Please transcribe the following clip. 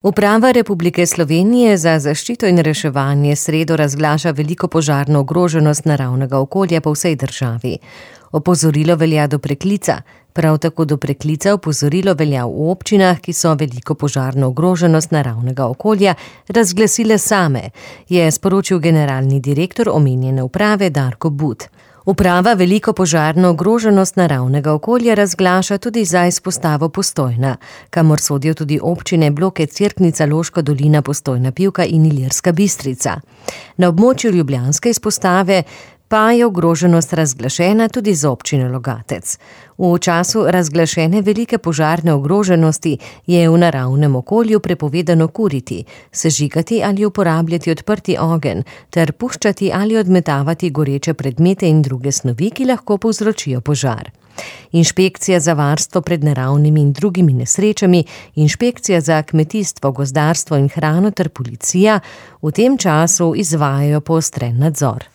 Uprava Republike Slovenije za zaščito in reševanje sredo razglaša veliko požarno ogroženost naravnega okolja po vsej državi. Opozorilo velja do preklica. Prav tako do preklica opozorilo velja v občinah, ki so veliko požarno ogroženost naravnega okolja razglasile same, je sporočil generalni direktor omenjene uprave Darko But. Uprava veliko požarno ogroženost naravnega okolja razglaša tudi za izpostavo Postojna, kamor sodijo tudi občine bloke Cerknica, Loška dolina, Postojna, Pivka in Ilirska Bistrica. Na območju ljubljanske izpostave pa je ogroženost razglašena tudi za občino Logatec. V času razglašene velike požarne ogroženosti je v naravnem okolju prepovedano kuriti, sežigati ali uporabljati odprti ogenj ter puščati ali odmetavati goreče predmete in druge snovi, ki lahko povzročijo požar. Inšpekcija za varstvo pred naravnimi in drugimi nesrečami, inšpekcija za kmetijstvo, gozdarstvo in hrano ter policija v tem času izvajajo poostren nadzor.